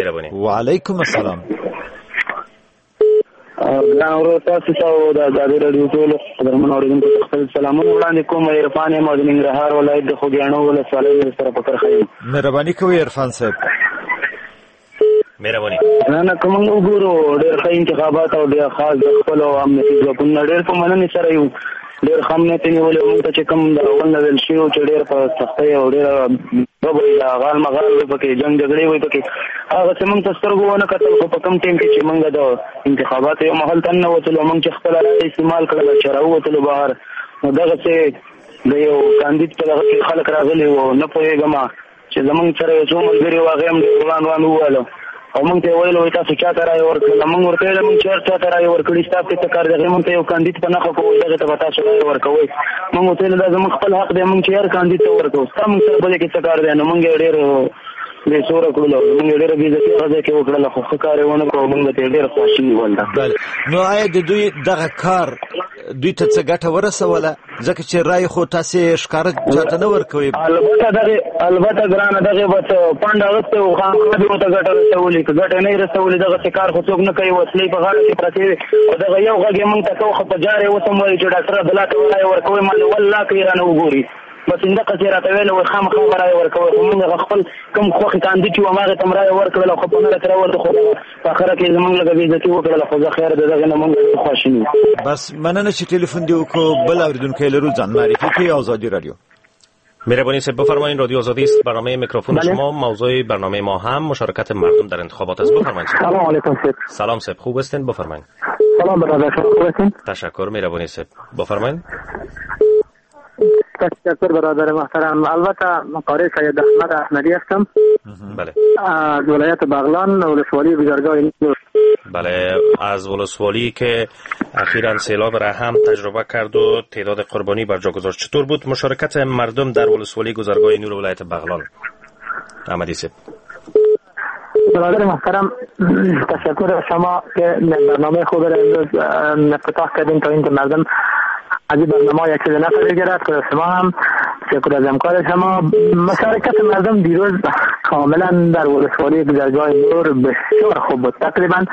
مهرباني. وعلیکم السلام. ګران ورور، تاسو ته او د ازادي راډیو ټولو قدرمنو اورېدونکو ته خپل سلامونه وړاندې کوم. عرفان یم او د ننګرهار ولایت د خوږیاڼو ولسوالۍ سره په کرښه یم. مهرباني کوئ عرفان صاحب. مهرباني. نه که موږ وګورو ډېر ښه انتخابات او ډېر خاص د خپلو امنیتي ځواکونو ډېر په مننې سره یو، ډېر ښه امنیت یې نیولی. موږ ته چې کوم د اول نه ویل شوي وو چې ډېر په سختۍ او ډېره به وي، غال مغال وي پکې، جنګ جګړې وي پکې، هغه څه موږ ته سترګو ونه کتل. خو په کوم ټیم کې چې موږ د انتخاباتو یو محل ته ننوتلو، موږ چې خپله رایه استعمال کړله، چې راووتلو بهر، نو دغسې د یو کاندید په دغه کې خلک راغلي وو. نه پوهېږم چې زموږ سره یو څو ملګري وو، هغې هم ډېر وړاند وړاند وویل او موږ ته یې ویل، وایي تاسو چا ته رایه ورکړله؟ موږ ورته ویل موږ چې هر چا ته رایه ورکړي ستا پرې څه کار دی؟ هغې موږ ته یو کاندید په نښه کړو، دغې ته به تاسو رایه ورکوئ. موږ ورته ویل دا زموږ خپل حق دی، موږ چې هر کاندید ته ورکوو، ستا موږ سره په دې کې څه کار دی؟ نو موږ یې ډېر بې سوره کړلو، موږ یې ډېره بېعزتي هغه ځای کې وکړله، خو ښه کار یې ونه کړو، موږ ته یې ډېر خواشیني ول. بله، نو آیا د دوی دغه کار دوی ته څه ګټه ورسوله؟ ځکه چې رایې خو تاسې ښکاره چاته نه ورکوئ. البته ګرانه، دغې به څه پنډ اخیستی و، خامخا دې ورته ګټه رسولې، که ګټه نه یې رسولې دغسې کار خو څوک نه کوي. وسلې په غاړه کې پرتې وې او دغه یو غږ یې موږ ته کوو، خو په جار یې اوس هم وایي چې ډاکټر عبدالله ته رایه ورکوئ، ما له والله که یې رانه وګوري، بس همدغسې راته ویل، وایي خامخا به رایه ورکوئ. خو موږ هغه خپل کوم خوښې کاندید چې و هماغې ته هم رایه ورکړله، خو په نره ترې ووتو، خو په اخره کې زموږ لږه بېعزتي وکړله. خو زه خیر د دغې نه موږ ډېر خواشیني یو. بس مننه چې ټلیفون دې وکړو. بل اورېدونکی لرو، ځان معرفي کوي. ازادي راډیو. مهربانی صاحب بفرمایید. رادیو آزادی است، برنامه میکروفون. بله. شما موضوع برنامه ما هم مشارکت مردم در انتخابات است. بفرمایید. سلام علیکم صاحب. سلام صاحب، خوب هستین؟ بفرمایید. سلام برادر، شما خوب هستین؟ تشکر، مهربانی صاحب، بفرمایید. تشکر برادر محترم. البته قاری سید احمد احمدی هستم. بله. از ولایت بغلان، ولسوالی گذرگاه نور. بله، از ولسوالی که اخیراً سیلاب را هم تجربه کرد و تعداد قربانی بر جا گذاشت. چطور بود مشارکت مردم در ولسوالی گذرگاه نور ولایت بغلان؟ احمدی صاحب. برادر محترم، تشکر از شما که برنامه خوب را امروز افتتاح کردیم تا اینکه مردم از این برنامه یک چیز نفع بگیرد. خدا شما هم تشکر از همکار شما. مشارکت مردم دیروز کاملا در ولسوالی گذرگاه نور بسیار خوب بود. تقریبا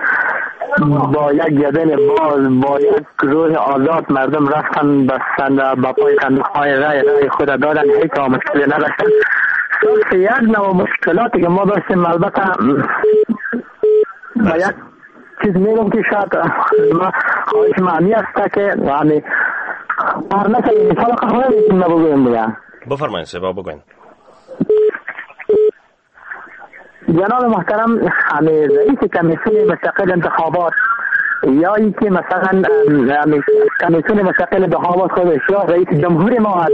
با یک گردن باز، با یک روح آزاد مردم رفتن با پای صندوق‌های رای خود دادن، هیچ مشکلی نداشتن. صرف یک نوع مشکلاتی که ما داشتیم، البته با یک چیز میگم که شاید ما خواهش معنی است که یعنی هر نفر مثال قهوه میتونم بگویم دیگه. بفرمایید سبا بگوین. جناب محترم، همه رئیس کمیسیون مستقل انتخابات یا اینکه مثلا کمیسیون مستقل انتخابات خودش یا رئیس جمهور ما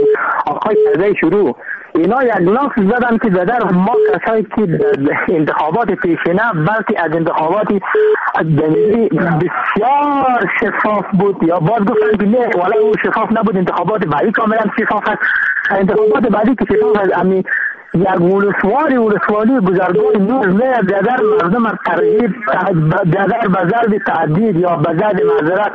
آقای کرزی شروع، اینا یک لاف زدن که در ما کسایی که در انتخابات پیشینه بلکه از انتخابات جمهوری بسیار شفاف بود، یا باز گفتن که نه والا او شفاف نبود، انتخابات بعدی کاملا شفاف است. انتخابات بعدی که شفاف است، امی یک ولسوالی گذرگاه نور نه در مردم ترغیب در به ضرب تعدید یا به ضرب معذرت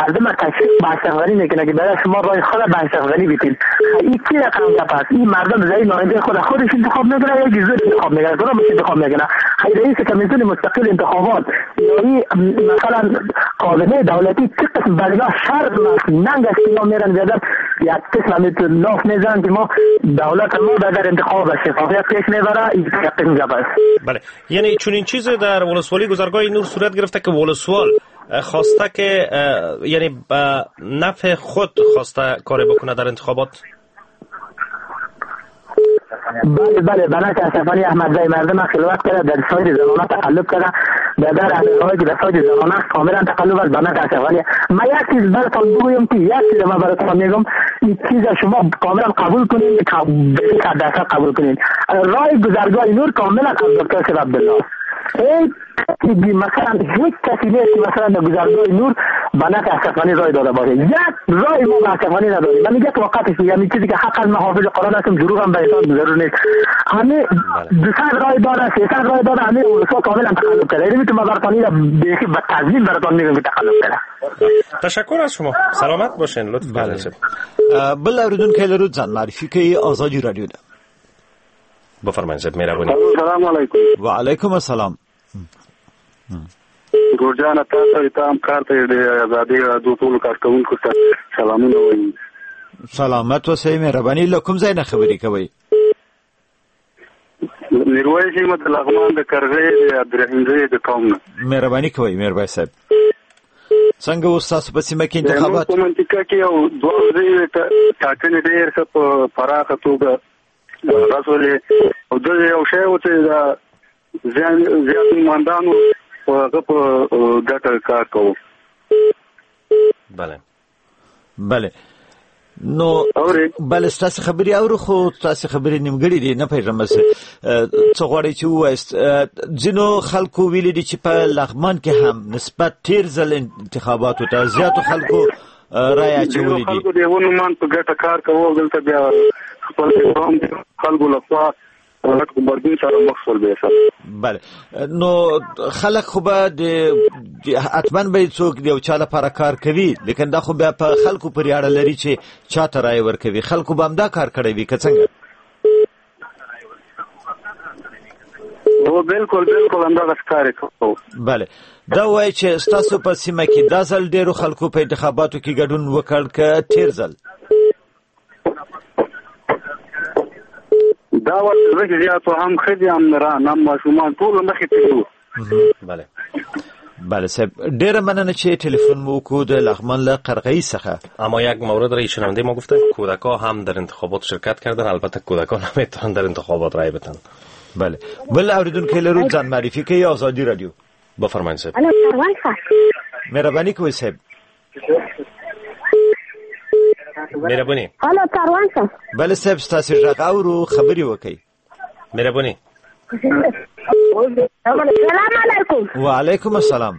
مردم تشویق به اشرف غنی میکنه که برای شما رای خود به اشرف غنی بیتین. این چی رقم گپ است؟ این مردم زعیم نماینده خود خودش انتخاب میکنه یا جزء انتخاب میکنه، کدامش انتخاب میکنه؟ رئیس کمیسیون مستقل انتخابات یا مثلا کابینه دولتی چه قسم برای شرم است، ننگ است که اینا میرن زیادت یک قسم هم لاف میزنن که ما دولت ما در انتخاب شفافیت پیش میبره. این یک قسم گپ است. بله، یعنی چنین چیزی در ولسوالی گذرگاه نور صورت گرفته که ولسوال خواسته که یعنی به نفع خود خواسته کاری بکنه در انتخابات. بله بله، بنات اشرف غنی احمدزی مردم خلوت کرده، در ساید زنانه تقلب کرده، در اهل که در ساید زنانه کاملا تقلب از بنات اشرف غنی. ما یک چیز براتون بگویم که یک چیز ما براتون میگم، این چیز شما کاملا قبول کنین، 100% قبول کنین. رای گذرگاه نور کاملا از دکتر صاحب عبدالله. مثلا هیچ کسی نیست که مثلا در گذرگاه نور به نفع اشرف غنی رای داده باشه. یک رای ما به اشرف غنی نداریم. من یک واقعیت است، یعنی چیزی که حق از محافظ قرآن هستم، دروغ هم به انسان ضرور نیست. همه 200 رای داده، 300 رای داده، همه اونها کاملا تقلب کرده. یعنی میتونم براتون اینو بیخی به تضمین براتون میگم که تقلب کرده. تشکر از شما، سلامت باشین، لطف کردین. بل اوریدونکی لرو ځان معرفي کوي ازادي رادیو ده. بفرمایئ صاحب مهرباني. السلام علیکم. وعلیکم السلام. ورور جانه، تاسو ته هم کار ته د ازادي راډیو ټولو کارکوونکو ته سلامونه وایم. سلامت اوسئ، مهرباني. له کوم ځای نه خبرې کوئ؟ میرویس یم، د لغمان د کرغۍ د عبدالرحیم زی د قوم نه. مهرباني کوئ میرویس صاحب. څنګه اوس تاسو په سیمه کې انتخابات؟ په منطقه کې یو دوه ورځې ټاکنې ډېر ښه په پراخه توګه رسولې، او د یو شی و چې دا زیات نوماندانو په هغه په ګټه کار کوو. بله بله، نو بله ستاسو خبرې اورو، خو ستاسو خبرې نیمګړې دي، نه پوهېږم څه غواړئ چې ووایاست. ځینو خلکو ویلي دي چې په لغمان کې هم نسبت تېر ځل انتخاباتو ته زیاتو خلکو رایه اچولې دي. خلکو د یو نوماند په ګټه کار کوو، دلته بیا خپل خلکو لخوا غټ غبرګون سره مخ شول بیا سره. بله، نو خلک خو به د حتما به څوک د یو چا لپاره کار کوي، لیکن دا خو بیا په خلکو پورې اړه لري چې چا ته رایه ورکوي. خلکو به همدا کار کړی وي که څنګه؟ هو بالکل بالکل همدغه کار یې کوو. بله، دا وایي چې ستاسو په سیمه کې دا ځل ډېرو خلکو په انتخاباتو کې ګډون وکړ که تېر ځل؟ دا وخت ځکه زیات هم ښځې هم نران هم ماشومان ټول مخې ته وو. بله بله صاحب، ډیره مننه چې تلفن مو وکړو د لغمان له قرغه‌ای څخه. اما یک مورد را شنونده ما گفتن کودکا هم در انتخابات شرکت کردن، البته کودکان نمیتونن در انتخابات رای بدن. بله، بل اوریدونکی لرو، ځان معرفي کوي، ازادي رادیو. بفرمایئ صاحب. مهرباني کوئ صاحب. مهرباني. الو کاروان صاحب. بله صاحب، ستاسو غږ اورو، خبرې وکړئ. مهرباني. سلام علیکم. وعلیکم السلام.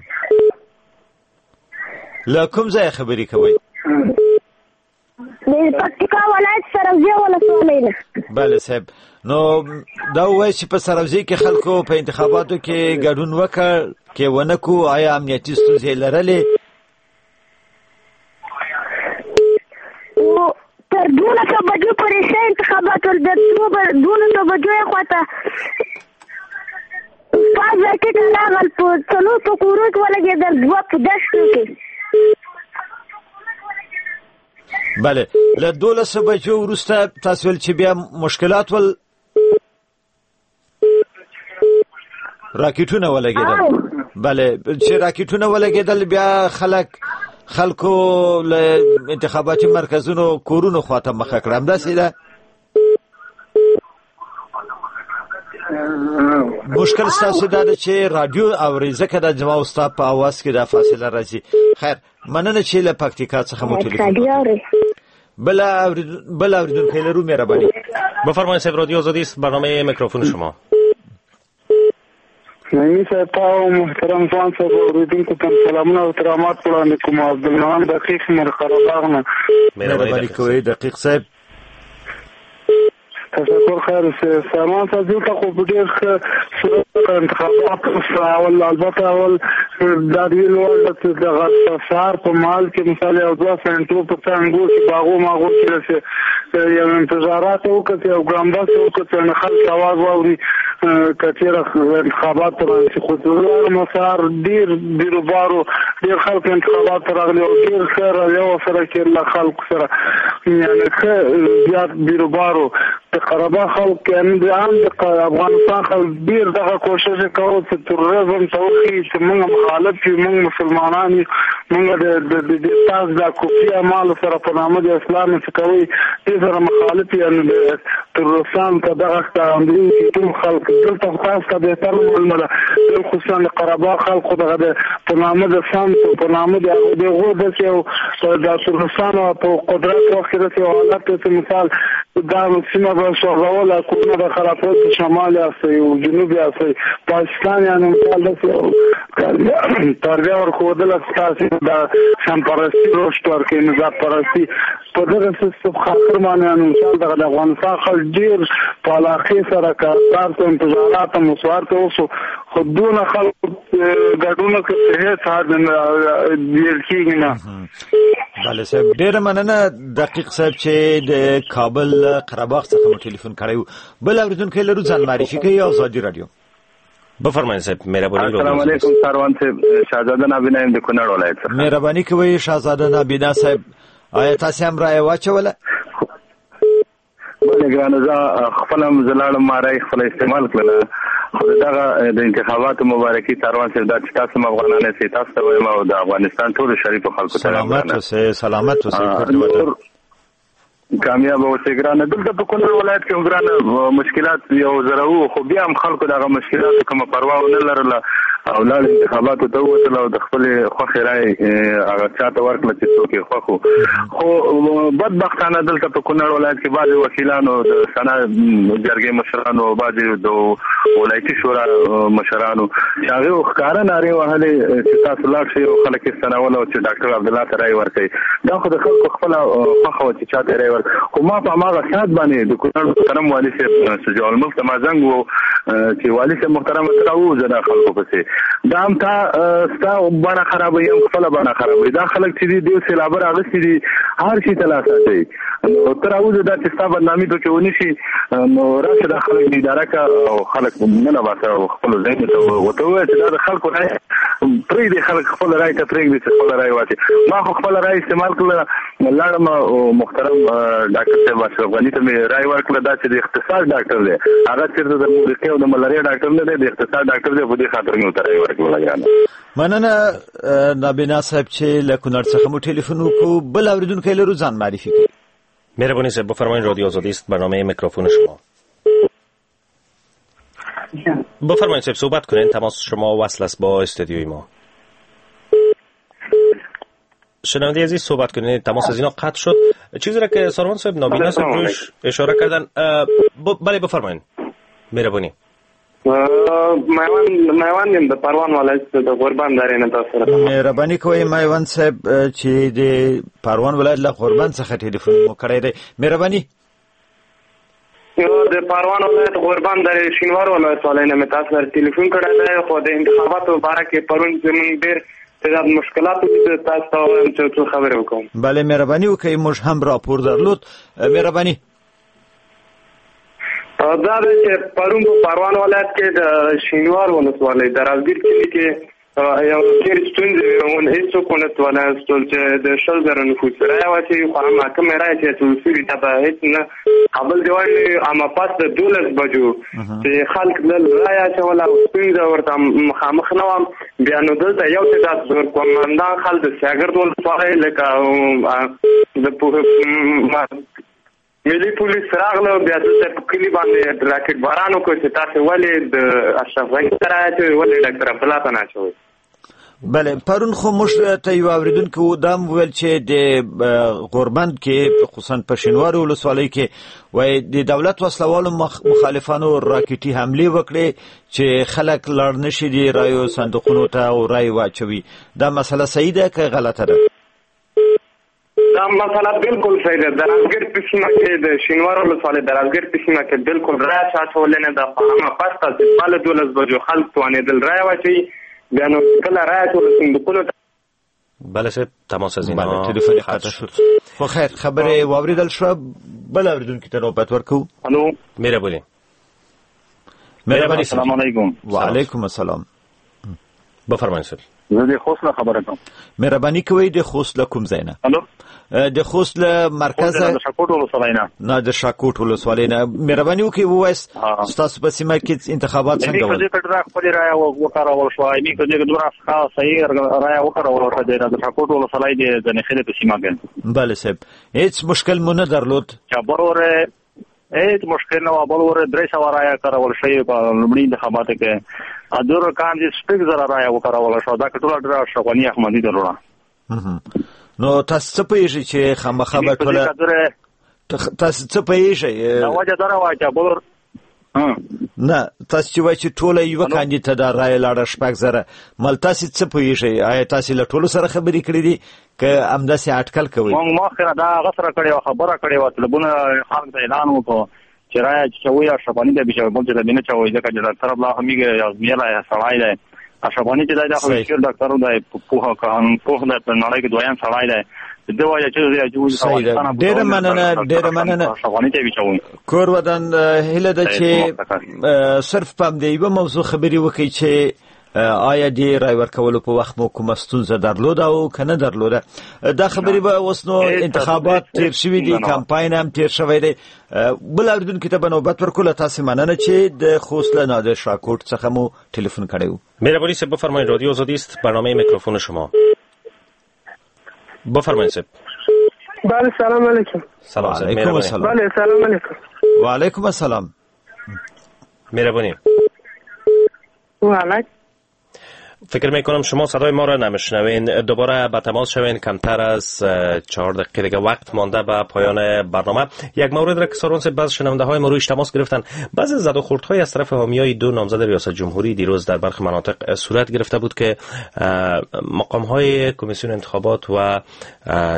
له کوم ځای خبرې کوئ؟ د پکتیکا ولایت سروزي ولسوالۍ نه. بله صاحب، نو دا وایي چې په سروزي کې خلکو په انتخاباتو کې ګډون وکړ کې ونه کو، آیا امنیتي ستونزې لرلې؟ تر 12 بجو پورې ښه انتخابات ول، د 12 بجو یې خواته پاس راکټ راغل، په 4 په کورو کې ولګېدل، 2 په دښتو کې. بله، له 12 بجو وروسته تاسو ویل چې بیا مشکلات ول، راکټونه ولګېدل. بله، چې راکټونه ولګېدل بیا خلکو له انتخاباتي مرکزونو کورونو خواته مخه کړه، همداسې ده؟ مشکل ستاسو دا ده چې رادیو اورئ، ځکه دا زما او ستا په اواز کې دا فاصله راځي. خیر، مننه چې له پکتیکا څخه مو ټلیفون وکړ. بل اوریدونکی لرو، مهرباني. بفرمایئ صاحب، رادیو آزادی است، برنامه میکروفون شما. نعیمي صاحب، تا او محترم ځوان صاحب اورېدونکو ته سلامونه او احترامات وړاندې کوم. عبدالمنان دقیق مر قرهباغ نه. مهرباني کوئ دقیق صاحب. تشکر. خیر اوسې سامان صاحب. دلته خو په ډېر ښه صورت انتخابات وشول. اول البته اول دا د ویلو وړ ده چې دغه سهار په مهال کې مثال یو دوه سنټو په څنګو کې باغو ماغو کې داسې یو انتظارات وکړه، یو ګرامبس وکړه، نو خلک اواز واوري که چېرې انتخابات ته رانشي. خو لاړم سهار ډېر بیروبارو، ډېر خلک انتخابات ته راغلي او ډېر ښه رویه ورسره کېدله خلکو سره، یعنې ښه زیات بیروبارو. د قرهباغ خلک، یعنې د عام د افغانستان خلک ډېر دغه کوشش یې کاوه چې تروریزم ته وښیي چې موږ مخالف یو، موږ مسلمانان یو، موږ د تاسو د کفري اعمالو سره په نامه د اسلام څه کوئ، دې سره مخالف یو. یعنې د تروریستانو ته دغه ښکارندوی چې ټول خلک دلته خو تاسو ته بهتره معلومه ده، بالخصوصا د قرهباغ خلک خو دغه د په نامه د سمت او په نامه د هغو د هغو داسې یو د تروریستانو په قدرت وخت کې داسې یو حالت دی چې مثال دا سیمه به سوځوله، کورونه به خرابول، په شمال یاستئ او جنوب یاستئ، پاکستان یعنې مثال داسې یو تربیه ورښودله چې تاسې د سمپرستي رشد ورکوي، نژاد پرستي په دغه سیستم خاطر باندې یعنې مثال دغه د افغانستان خلک ډېر په علاقې سره کار ته انتظارات هم ورته وشو، خو دونه خلک ګډون وکړ چې هېڅ حد نه ویل کېږي نه. بله صاحب، ډېره مننه دقیق صاحب چې د کابل قرهباغ څخه مو ټلیفون کړی و. بل اورېدونکی لرو، ځان معرفي کوي، ازادي رادیو. بفرمایئ صاحب، مهرباني. السلام علیکم ساروان صاحب، شاهزاده نابینا یم د کونړ ولایت څخه. مهرباني کوئ شاهزاده نابینا صاحب، آیا تاسې هم رایه واچوله؟ بله ګرانه، زه خپله هم زه لاړم، ما رایې خپله استعمال کړله. خو دغه د انتخاباتو مبارکي ساروان صاحب، دا چې تاسو هم افغانان یاست، تاسو ته وایم او د افغانستان ټولو شریفو خلکو ته. سلامت اوسئ، سلامت اوسئ. کامیاب اوسئ ګرانه. دلته په کونړ ولایت کې هم ګرانه مشکلات یو زره وو، خو بیا هم خلکو دغه مشکلاتو کومه پروا ونه لرله او لاړ انتخاباتو ته ووتل او د خپلې خوښې رایې هغه چا ته ورکړه چې څوک یې خوښ وو. خو بدبختانه دلته په کونړ ولایت کې بعضې وکیلانو، د سنا جرګې مشرانو او بعضې د ولایتي شورا مشرانو چې هغې ښکاره نارې وهلې چې تاسو لاړ شئ او خلک یې ستنول او چې ډاکټر عبدالله ته رایې ورکړئ. دا خو د خلکو خپله خوښه وه چې چا ته رایې ورکړي. خو ما په هماغه ساعت باندې د کونړ محترم والي صاحب شجاع الملک ته ما زنګ وو چې والي صاحب محترم ته راووځه دا خلکو پسې، دا هم تا ستا بڼه خرابوي هم خپله بڼه خرابوي. دا خلک چې دي ډېر سېلابه راغستي دي، هر شي ته لاس اچوي. نو ته راووځه دا چې ستا بدنامي پکې ونه شي، نو راشه دا خلک دې اداره کړه او خلک ننه باسه او خپلو ځایونو ته ورته ووایه چې دا د خلکو رایه پرېږدي، خلک خپله رایې ته پرېږدي چې خپله رایه واچوي. ما خو خپله رایه استعمال کړله، لاړم او محترم ډاکټر صاحب اشرف غني ته مې رایه ورکړه. دا چې د اقتصاد ډاکټر دی، هغه چېرته د موسیقي او د ملاریا ډاکټر نه دی، د اقتصاد ډاکټر دی، په دې خاطر مې ورته رایه ورکړله. ګرانه مننه نابینا صاحب چې له کونړ څخه مو ټلیفون وکړو. بل اورېدونکی لرو، ځان معرفي کړئ. مهرباني صاحب، بفرمایید. رادیو آزادی است، برنامه میکروفون شما. بفرمایید صاحب، صحبت کنین، تماس شما وصل است با استودیوی ما. شنونده عزیز صحبت کنین، تماس از اینا قطع شد. چیزی را که ساروان صاحب نابینا صاحب روش اشاره کردن. بله بفرمایید، مهربانی. میوند یم د پروان ولایت د غوربند درې نه تاسو سره. مهرباني کوئ میوند صاحب چې د پروان ولایت له غوربند څخه ټلیفون مو کړی دی. مهرباني. د پروان ولایت غوربند درې شینوار ولسوالۍ نه مې تاسو سره ټلیفون کړی دی. خو د انتخاباتو په باره کې پرون زموږ ډېر تعداد مشکلات ولیدل، تاسو ته وایم چې څو خبرې وکړم. بله مهرباني وکړئ، موږ هم راپور درلود. مهرباني. دا دی چې پرون په پروان ولایت کې د شینوار ولسوالۍ د رازګیر کلي کې یو ډېر ستونزې وې، هېڅوک ونه توانستل چې د 20,000 نفوس رایه واچوي. خو اما کومې رایې چې اچول شوي دا به هېڅ نه قابل دی وړ نه وي. اما پس د 12 بجو چې خلک تلل رایه اچوله او ستونزه ورته مخامخ نه وه، بیا نو دلته یو تعداد زورکمندان خلک د سیاګرد ولسوالۍ لکه د ملي پولیس راغله، بیا دلته په کلي باندې راکټ باران وکړ چې تاسې ولې د اشرف غني ته رایه اچوئ، ولې ډاکټر عبدالله ته نه اچوئ. بله پرون خو موږ ته یو اورېدونکي و، دا هم وویل چې د غوربند کې خصوصا په شینوارو ولسوالۍ کې وایي د دولت وسلهوالو مخالفانو راکټي حملې وکړې چې خلک لاړ نه شي د رایو صندوقونو ته او رایې واچوي. دا مسله صحیح ده که غلطه ده؟ دا مسله بالکل صحیح ده. د رازګر په سیمه کې د شینوار ولسوالۍ د رازګر په سیمه کې بالکل رایه چا اچولې نه ده. خو همه پس ته چې بله 12 بجو خلک توانېدل رایه واچوي، بیا نو کله رایه اچول صندوقونو ته. بله صاحب، تماس از اینا بله تلفن قطع شد. خو خیر، خبرې واورېدل شوه. بل اورېدونکي ته نوبت ورکوو. الو، مهرباني. مهرباني. السلام علیکم. وعلیکم السلام. بفرمایئ صاحب. زه د خوست له خبره کوم. مهرباني کوئ، د خوست له کوم ځای نه؟ الو، د خوست له مرکز د شاکوټ ولسوالۍ نه. نه، د شاکوټ ولسوالۍ نه. مهرباني وکړئ ووایاست ستاسو په سیمه کې انتخابات څنګه ول؟ دې کډه خپلې رایه وکارول شوه. ایمي که دې دومره ښه صحیح رایه وکارول شوه د شاکوټ ولسوالۍ د نخیلې په سیمه کې. بله صاحب، هیڅ مشکل مو نه درلود؟ چې بل هیڅ مشکل نه و. بل ور 300 رایه کارول شوې په لومړي انتخاباتو کې. ادور کان دې 6,000 رایه وکارول شوه. دا ټوله ډېره اشرف غني احمدي درلوده. نو تاسو څه پوهېږئ چې خامخا به ټوله تاسو څه پوهېږئ؟ دا وجه دا وه چې بل نه تاسو چې وایئ چې ټوله یوه کاندید ته دا رایه لاړه 6,000، مل تاسو څه پوهېږئ؟ آیا تاسو له ټولو سره خبرې کړې دي که همداسې اټکل کوئ؟ موږ مخکې دا هغه سره کړې وه، خبره کړې وه، طلبونه خلک ته اعلان وکړو چې رایه چې چوي اشرف غني ته به چوي، بل چاته به نه چوي، ځکه چې ډاکټر عبدالله هم یې ازمیلی سړی دی. اشرف غني چې دی دا خو ډېر ډاکټر دی، پوه قانون پوه دی، په نړۍ کې دویم سړی دی. د وایي چې ډیره مننه، ډیره مننه. کور ودان. هیله ده چې صرف په همدې یوه موضوع خبرې وکړئ چې آیا د رای ورکولو په وخت مو کومه ستونزه درلوده او که نه درلوده. دا خبرې به اوس نو انتخابات تیر شوي دي، کمپاین هم تیر شوی دی. بل اورېدونکي ته به نوبت ورکړو. له تاسې مننه چې د خوست له نادر شاه کوټ څخه مو ټلیفون کړی و. مهرباني صاحب بفرمایید. رادیو آزادی است، برنامه میکروفون شما. بفرمایید صاحب. بله سلام علیکم. سلام علیکم. السلام. بله سلام علیکم. و علیکم السلام. مهربانی. و علیکم. فکر میکنم شما صدای ما را نمیشنوین. دوباره به تماس شوین. کمتر از 4 دقیقه دیگه وقت مانده به پایان برنامه. یک مورد را که سارون صاحب بعض شنونده های ما رویش تماس گرفتن، بعضی زد و خوردهای از طرف حامیای دو نامزد ریاست جمهوری دیروز در برخی مناطق صورت گرفته بود که مقام های کمیسیون انتخابات و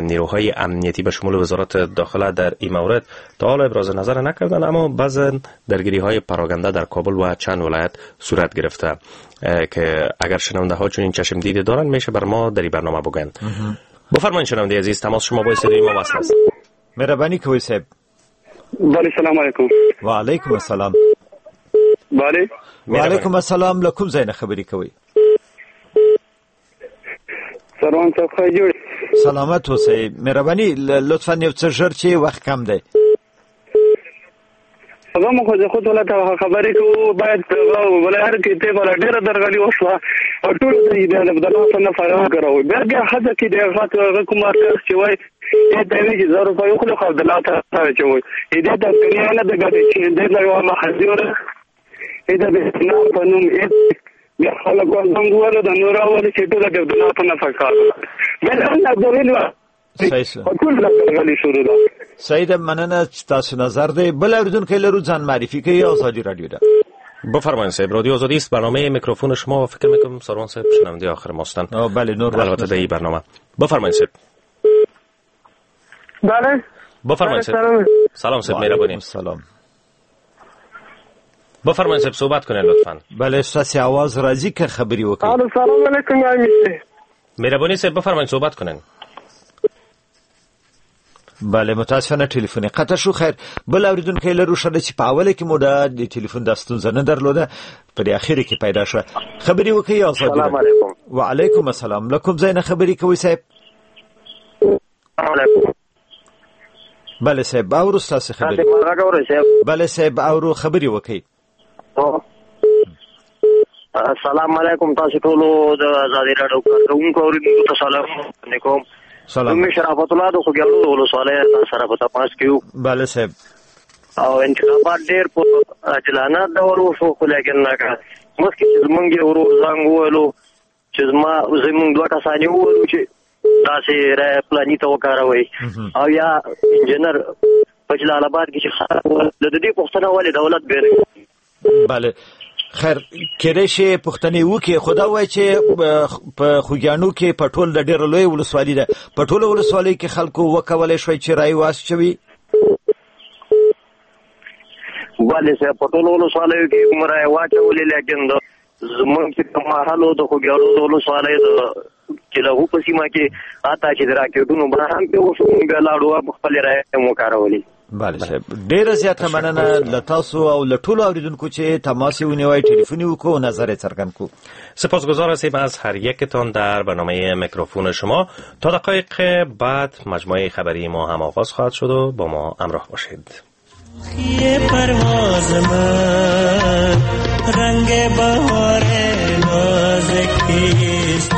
نیروهای امنیتی به شمول وزارت داخله در این مورد تا حالا ابراز نظر نکردن، اما بعض درگیری های پراگنده در کابل و چند ولایت صورت گرفته که اگر شنونده ها چون این چشم دیده دارن میشه بر ما در این برنامه بگن. بفرمایید شنونده عزیز، تماس شما با استودیوی ما وصل است. مهربانی کوي صاحب. بله سلام علیکم. و علیکم السلام. بله و علیکم السلام. له کوم ځای نه خبرې کوي؟ سلام صاحب، ښه جوړ؟ سلامت اوسئ. مهرباني لطفا یو څه ژر چې وخت کم دی. هغه مو خو د خود ولایت خبرې کوو، باید ولایت کې ته بل ډېره درغلي وشوه او ټول د عبدالله نه فراغ کړو. بیا بیا هڅه کې د هغه کوم کس چې وای دا وی چې 1000 روپۍ خو عبدالله ته چې وای دې د کنه نه د ګډې چې دې له یو محذور دې د نه په نوم بیا خلک زنګ وهلو د نور اول چې ټول د عبدالله په نفع کار بل نه دلیل سید مننه چې تاسو نظر دی. بل اوریدونکی لرو، ځان معرفي کوي. ازادي رادیو ده. بفرمایید صاحب. رادیو آزادی است، برنامه میکروفون شما و فکر میکنم ساروان صاحب شنونده آخر ماستن. بله نور البته در این برنامه. بفرمایید صاحب. بله بفرمایید صاحب. سلام صاحب، مهربانی. سلام. بفرمایید صاحب، صحبت کنید لطفاً. بله ستاسو आवाज راځي که خبرې وکړئ. سلام علیکم. مهربانی صاحب بفرمایید صحبت کنید. بله متاسفانه ټلیفون قطع شو. خیر بل اوریدونکی لرو، ښه ده چې په اوله کې مو د ټلیفون دا ستونزه نه درلوده، په دې اخري کې پیدا شوه. خبرې وکړئ. ازادي. سلام علیکم. وعلیکم السلام. له کوم ځای نه خبرې کوئ صاحب؟ سلام علیکم. بله صاحب اورو ستاسو خبرې. بله صاحب اورو، خبرې وکړئ. السلام علیکم. تاسو ټولو د ازادي راډیو کارکوونکو اوریدونکو ته سلام علیکم. سلام. مې شرافت الله د خوږیاڼو ولسوالۍ سره په تماس کې یو. بله صاحب. او انتخابات ډېر په عادلانه ډول وشو، خو لیکن مخکې چې زمونږ یو ورور زنګ وویلو چې زمونږ دوه کسان یې وویلو چې تاسې رایه فلاني ته وکاروئ، او یا انجینر په جلال اباد کې چې خلک د دې پوښتنه ولې دولت بې نه کوي؟ بله خیر کېدای شي پوښتنې وکړي، خو دا وایي چې په خوږیاڼو کې په ټول د ډېره لویه ولسوالي ده، په ټوله ولسوالۍ کې خلکو وکولی شوی چې رایې واچوي؟ بله صاحب په ټولو ولسوالیو کې هم رایې واچولې، لیکن زموږ چې کوم محل و د خوږیاڼو د ولسوالۍ د کلهو په سیمه کې حتی چې د راکټونو بار هم پرې وشو، موږ بیا لاړو خپلې رایې هم وکارولې. بله صاحب ډیره زیاته مننه له تاسو او له ټولو اوریدونکو چې تماس یې ونیوی، ټلیفون یې وکړو او نظر یې څرګند کړو. سپاسگزار هستیم از هر یکتان در برنامه میکروفون شما. تا دقایق بعد مجموعه خبری ما هم آغاز خواهد شد و با ما همراه باشید. پرواز من رنگ بهار نازکیست،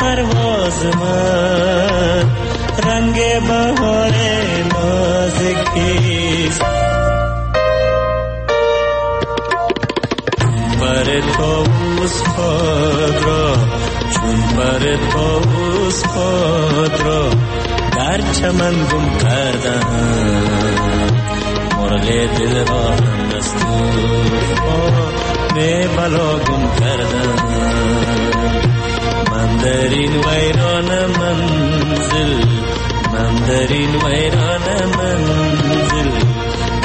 پرواز من رنگ بهار نازکیست، پر طاووس خود را چون پر طاووس خود را در چمن گم کردم، مرغ دل را هم از طوفان بلا گم کردم. من در این ویران منزل، من در این ویران منزل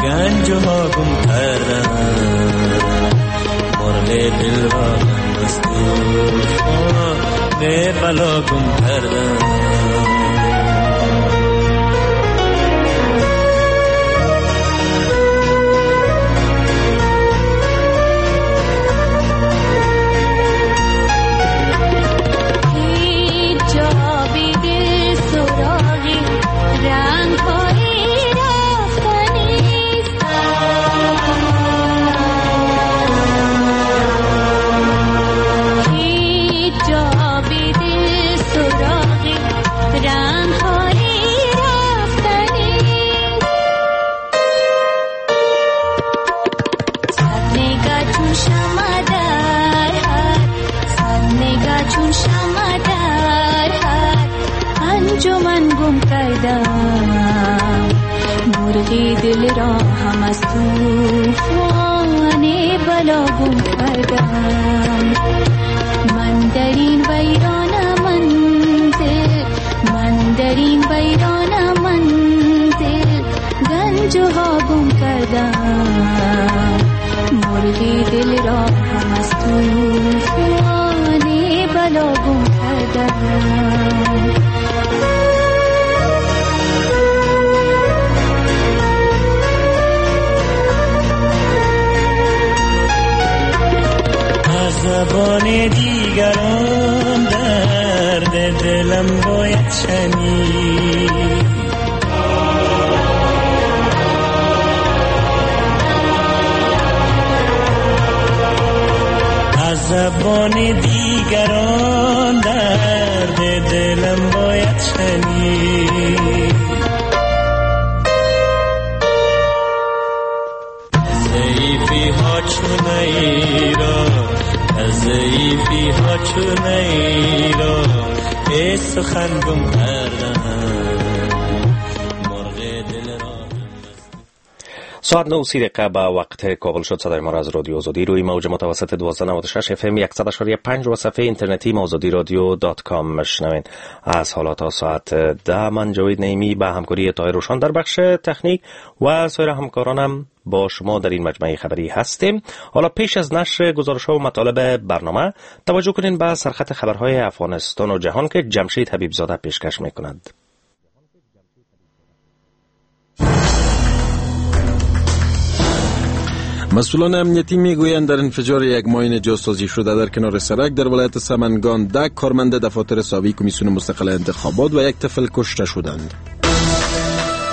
گنج ها گم کردم، گم کردم. مرغی دل را هم از طوفان بلا گم کردم. من در این ویرانه منزل، من در این ویرانه منزل، گنج ها گم کردم. مرغی دل را هم از طوفان بلا گم کردم. زبان دیگران درد دلم باید شنید، از زبان دیگران درد دلم باید شنید. ضعیفی ها چون ایران، ضعیفی ها چون ایران، ای سخن گم کردم مرغ دل را. ساعت 9:30 به وقت کابل شد. صدای ما را از رادیو آزادی روی موج متوسط 1296 اف ام 100.5 و صفحه اینترنتی آزادی رادیو.com میشنوین. از حالا تا ساعت 10 من جاوید نعیمی به همکاری طاهر روشان در بخش تکنیک و سایر همکارانم با شما در این مجموعه خبری هستیم. حالا پیش از نشر گزارش‌ها و مطالب برنامه توجه کنین به سرخط خبرهای افغانستان و جهان که جمشید حبیبزاده پیشکش میکند. مسئولان امنیتی میگویند در انفجار یک ماین جاسازی شده در کنار سرک در ولایت سمنگان 10 کارمند دفاتر ساوی کمیسیون مستقل انتخابات و یک طفل کشته شدند.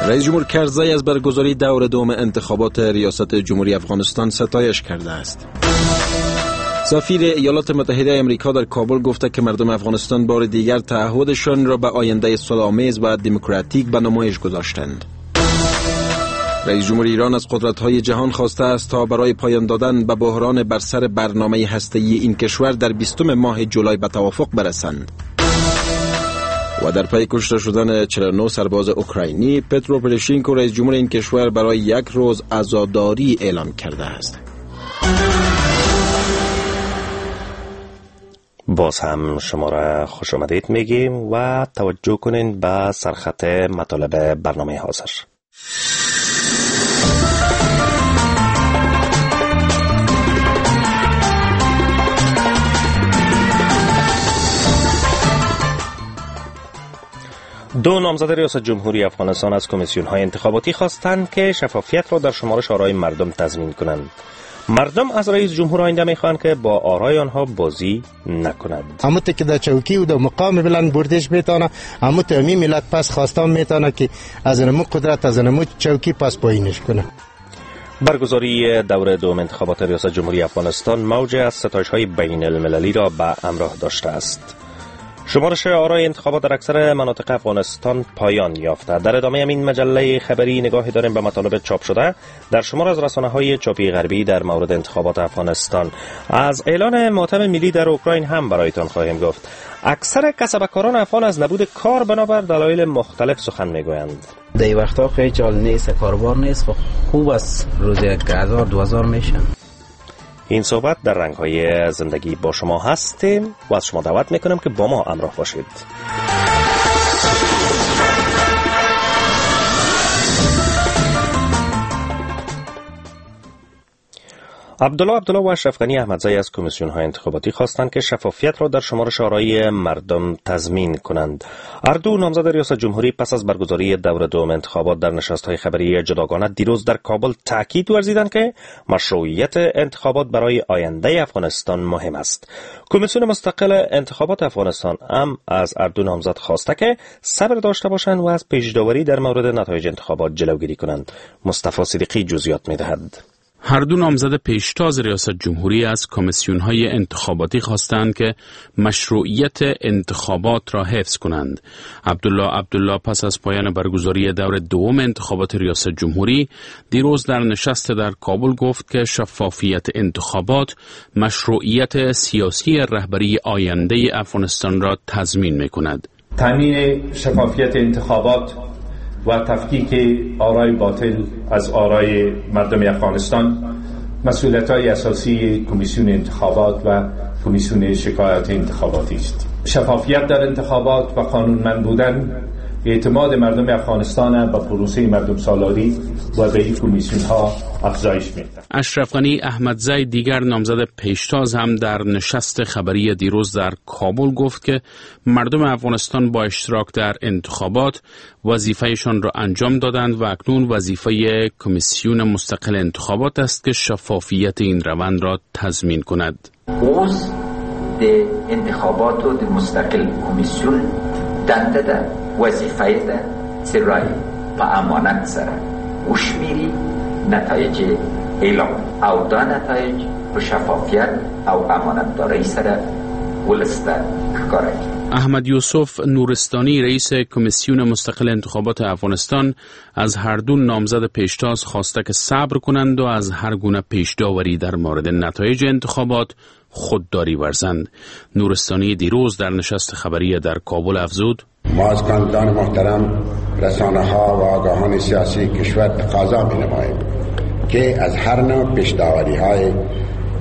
رئیس جمهور کرزی از برگزاری دور دوم انتخابات ریاست جمهوری افغانستان ستایش کرده است. سفیر ایالات متحده امریکا در کابل گفته که مردم افغانستان بار دیگر تعهدشان را به آینده صلح‌آمیز و دموکراتیک به نمایش گذاشتند. رئیس جمهور ایران از قدرت‌های جهان خواسته است تا برای پایان دادن به بحران بر سر برنامه هسته‌ای این کشور در 20 ماه جولای به توافق برسند. و در پی کشته شدن 49 سرباز اوکراینی، پترو پروشینکو رئیس جمهور این کشور برای یک روز عزاداری اعلام کرده است. باز هم شما را خوش آمدید میگیم و توجه کنین به سرخط مطالب برنامه حاضر. دو نامزد ریاست جمهوری افغانستان از کمیسیون های انتخاباتی خواستند که شفافیت را در شمارش آرای مردم تضمین کنند. مردم از رئیس جمهور آینده میخواهند که با آرای آنها بازی نکند. همون که در چوکی و در مقام بلند بردش میتونه، همون امی ملت پس خواستان میتونه که از نمو قدرت از نمو چوکی پس پایینش کنه. برگزاری دور دوم انتخابات ریاست جمهوری افغانستان موج از ستایش های بین المللی را به همراه داشته است. شمارش آرای انتخابات در اکثر مناطق افغانستان پایان یافته. در ادامه این مجله خبری نگاهی داریم به مطالب چاپ شده در شمار از رسانه‌های چاپی غربی در مورد انتخابات افغانستان. از اعلان ماتم ملی در اوکراین هم برایتان خواهیم گفت. اکثر کسبکاران افغان از نبود کار بنابر دلایل مختلف سخن میگویند. در این وقتا خیلی جال نیست، کاروبار نیست، خوب است، روز 1000 2000 میشه. این صحبت در رنگ‌های زندگی با شما هستیم و از شما دعوت میکنم که با ما همراه باشید. عبدالله عبدالله و اشرف غنی احمدزی از کمیسیون های انتخاباتی خواستند که شفافیت را در شمارش آرای مردم تضمین کنند. هر دو نامزد ریاست جمهوری پس از برگزاری دور دوم انتخابات در نشست های خبری جداگانه دیروز در کابل تاکید ورزیدند که مشروعیت انتخابات برای آینده افغانستان مهم است. کمیسیون مستقل انتخابات افغانستان هم از هر دو نامزد خواسته که صبر داشته باشند و از پیشداوری در مورد نتایج انتخابات جلوگیری کنند. مصطفی صدیقی جزئیات می‌دهد. هر دو نامزد پیشتاز ریاست جمهوری از کمیسیون‌های انتخاباتی خواستند که مشروعیت انتخابات را حفظ کنند. عبدالله عبدالله پس از پایان برگزاری دور دوم انتخابات ریاست جمهوری دیروز در نشست در کابل گفت که شفافیت انتخابات مشروعیت سیاسی رهبری آینده افغانستان را تضمین می‌کند. تامین شفافیت انتخابات و تفکیک آرای باطل از آرای مردم افغانستان مسئولیت‌های اساسی کمیسیون انتخابات و کمیسیون شکایات انتخاباتی است. شفافیت در انتخابات و قانونمند بودن اعتماد مردم افغانستان به پروسه مردم سالاری و به این کمیسیون ها افزایش می‌دهد. اشرف غنی احمدزی دیگر نامزد پیشتاز هم در نشست خبری دیروز در کابل گفت که مردم افغانستان با اشتراک در انتخابات وظیفه‌شان را انجام دادند و اکنون وظیفه کمیسیون مستقل انتخابات است که شفافیت این روند را تضمین کند. اوس د انتخاباتو د مستقل کمیسیون دنده ده، وظیفه ده چې رای په امانت سره وشمیري، نتایج اعلام او دا نتایج په شفافیت او امانتدارۍ سره ولس ته ښکاره کړي. احمد یوسف نورستانی رئیس کمیسیون مستقل انتخابات افغانستان از هر دو نامزد پیشتاز خواسته که صبر کنند و از هر گونه پیشداوری در مورد نتایج انتخابات خودداری ورزند. نورستانی دیروز در نشست خبری در کابل افزود: ما از کاندیدان محترم، رسانه ها و آگاهان سیاسی کشور تقاضا می نماییم که از هر نوع پیشداوری های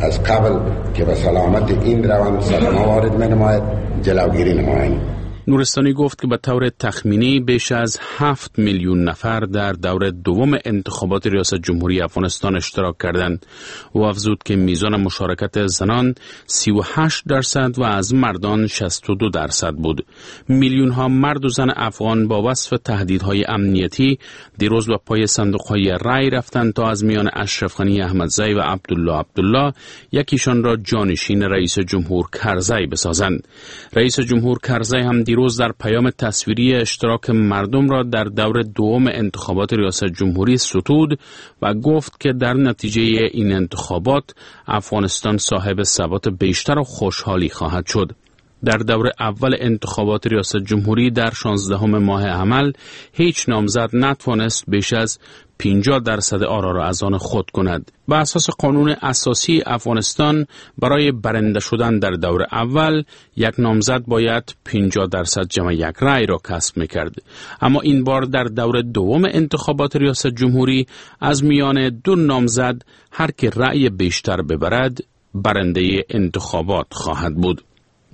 از قبل که به سلامت این روند صدمه وارد می نماید جلوگیری نمایند. نورستانی گفت که به طور تخمینی بیش از 7 میلیون نفر در دور دوم انتخابات ریاست جمهوری افغانستان اشتراک کردند. او افزود که میزان مشارکت زنان 38% و از مردان 62% بود. میلیون ها مرد و زن افغان با وصف تهدیدهای امنیتی دیروز به پای صندوق‌های رای رفتند تا از میان اشرف غنی احمدزی و عبدالله عبدالله یکیشان را جانشین رئیس جمهور کرزی بسازند. رئیس جمهور کرزی هم دیروز در پیام تصویری اشتراک مردم را در دور دوم انتخابات ریاست جمهوری ستود و گفت که در نتیجه این انتخابات افغانستان صاحب ثبات بیشتر و خوشحالی خواهد شد. در دور اول انتخابات ریاست جمهوری در 16 ماه حمل هیچ نامزد نتوانست بیش از 50% آرا را از آن خود کند. به اساس قانون اساسی افغانستان برای برنده شدن در دور اول یک نامزد باید 50% جمع یک رأی را کسب میکرد. اما این بار در دور دوم انتخابات ریاست جمهوری از میان دو نامزد هر که رأی بیشتر ببرد برنده انتخابات خواهد بود.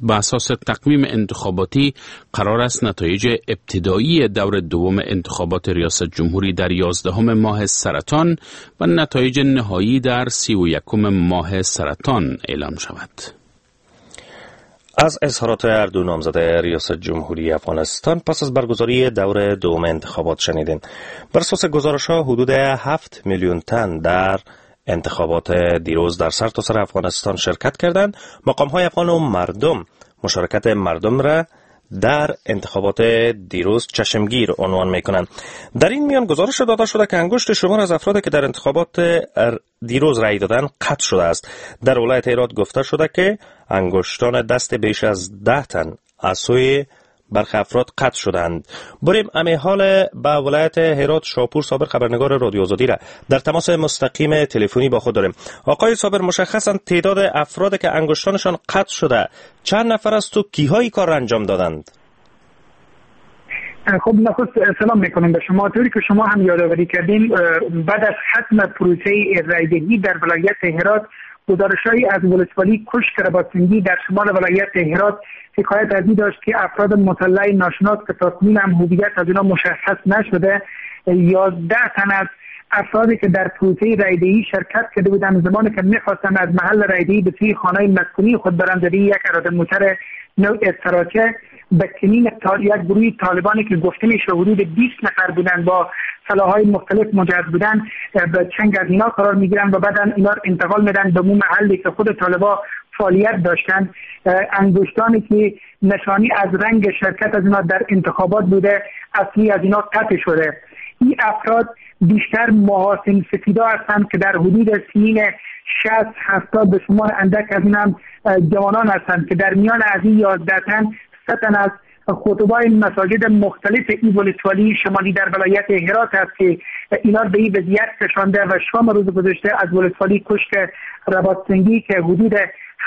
به اساس تقویم انتخاباتی قرار است نتایج ابتدایی دور دوم انتخابات ریاست جمهوری در 11 ماه سرطان و نتایج نهایی در 31 ماه سرطان اعلام شود. از اظهارات هر دو نامزد ریاست جمهوری افغانستان پس از برگزاری دور دوم انتخابات شنیدیم. بر اساس گزارش‌ها حدود 7 میلیون تن در انتخابات دیروز در سرتاسر افغانستان شرکت کردند. مقام‌های افغان و مردم مشارکت مردم را در انتخابات دیروز چشمگیر عنوان می‌کنند. در این میان گزارش داده شده که انگشت شمار از افرادی که در انتخابات دیروز رأی دادند قطع شده است. در ولایت هرات گفته شده که انگشتان دست بیش از 10 تن از سوی برخی افراد قطع شدند. بریم امی حال به ولایت هرات شاپور صابر خبرنگار رادیو آزادی را در تماس مستقیم تلفنی با خود داریم. آقای صابر، مشخصا تعداد افراد که انگشتانشان قطع شده چند نفر است و کیهای کار را انجام دادند؟ خب نخست سلام میکنم به شما. طوری که شما هم یادآوری کردین، بعد از ختم پروسه رای‌دهی در ولایت هرات گزارش‌هایی از ولسوالی کشک رباطسنگی در شمال ولایت هرات حکایت از این داشت که افراد مسلح ناشناس که تاکنون هم هویت از اینا مشخص نشده 11 تن از افرادی که در پروسه رایدهی شرکت کرده بودند زمانی که میخواستند از محل رایدهی به سوی خانه مسکونی خود برند در یک اراده موتر نوع استراچه به کمین یک گروه طالبانی که گفته میشه حدود 20 نفر بودند با سلاح‌های مختلف مجهز بودند به چنگ از اینا قرار میگیرن و بعدا اینا رو انتقال میدن به مو محلی که خود طالبا فعالیت داشتند. انگشتانی که نشانی از رنگ شرکت از اینا در انتخابات بوده اصلی از اینا قطع شده. این افراد بیشتر محاسن سفیدا هستند که در حدود سنین 60-70 به شمار اندک از این هم جوانان هستند که در میان از این 11 تن 3 تن از خطبای مساجد مختلف این ولسوالی شمالی در ولایت هرات است که اینا به این وضعیت کشانده و شام روز گذشته از ولسوالی کشک رباطسنگی که حدود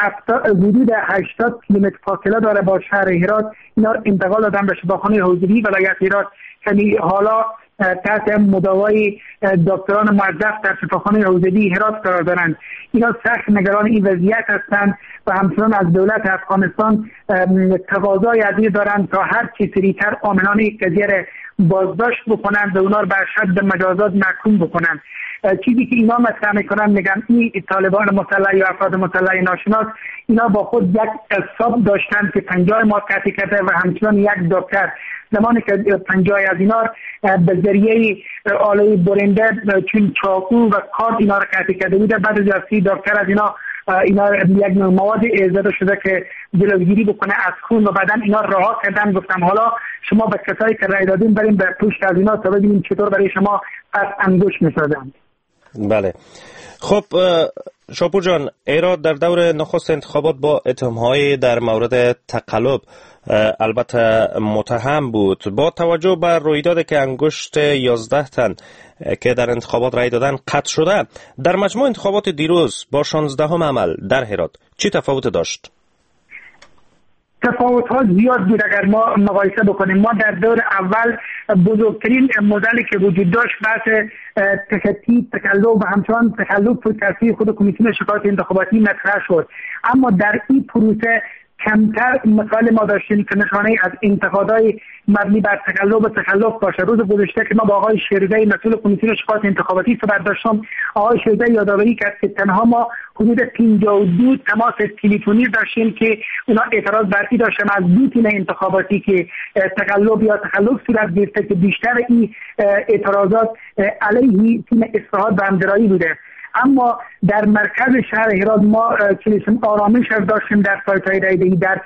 80 کیلومتر فاصله داره با شهر هرات اینا انتقال دادن به شفاخانه حوزوی ولایت هرات که حالا تحت مداوای دکتران موظف در شفاخانه حوزوی هرات قرار دارند. اینا سخت نگران این وضعیت هستند و همچنان از دولت افغانستان تقاضای از دارند تا هر چه سریعتر عاملان این قضیه را بازداشت بکنند و اونا را به اشد مجازات محکوم بکنند. چیزی که اینا مطرح میکنن میگن این طالبان مسلح یا افراد مسلح ناشناس اینا با خود یک حساب داشتن که 50 ماه قطع کرده و همچنان یک دکتر زمانی که 50 از اینا به ذریعه آله برنده چون چاقو و کارد اینا را قطع کرده بوده، بعد از دکتر از اینا یک مواد زده شده که جلوگیری بکنه از خون و بعدا اینا رها کردن. گفتم حالا شما به کسایی که رای دادین بریم به پشت از اینا تا ببینیم چطور برای شما پس انگشت می‌سازند. بله. خب شاپور جان، ایراد در دور نخست انتخابات با اتهام‌های در مورد تقلب البته متهم بود. با توجه به رویداد که انگشت 11 تن که در انتخابات رای دادن قطع شده، در مجموع انتخابات دیروز با 16 عمل در هرات چی تفاوت داشت؟ تفاوت ها زیاد بود اگر ما مقایسه بکنیم. ما در دور اول بزرگترین مدلی که وجود داشت بحث تخطی، تقلب و همچنان تقلب بود که خود کمیسیون شکایت انتخاباتی مطرح شد. اما در این پروسه کمتر مثال ما داشتیم که نشانه از انتقادهای مبنی بر تقلب و تخلف باشه. روز گذشته که ما با آقای شیرزی مسئول کمیسیون شکایت انتخاباتی صحبت داشتم، آقای شیرزی یادآوری کرد که تنها ما حدود 52 تماس تلفنی داشتیم که اونا اعتراض برقی داشتن از دو تیم انتخاباتی که تقلب یا تخلف صورت گرفته که بیشتر این اعتراضات علیه تیم اصلاحات و همگرایی بوده. اما در مرکز شهر هرات ما چنین آرامش داشتیم در سایت‌های رای‌دهی در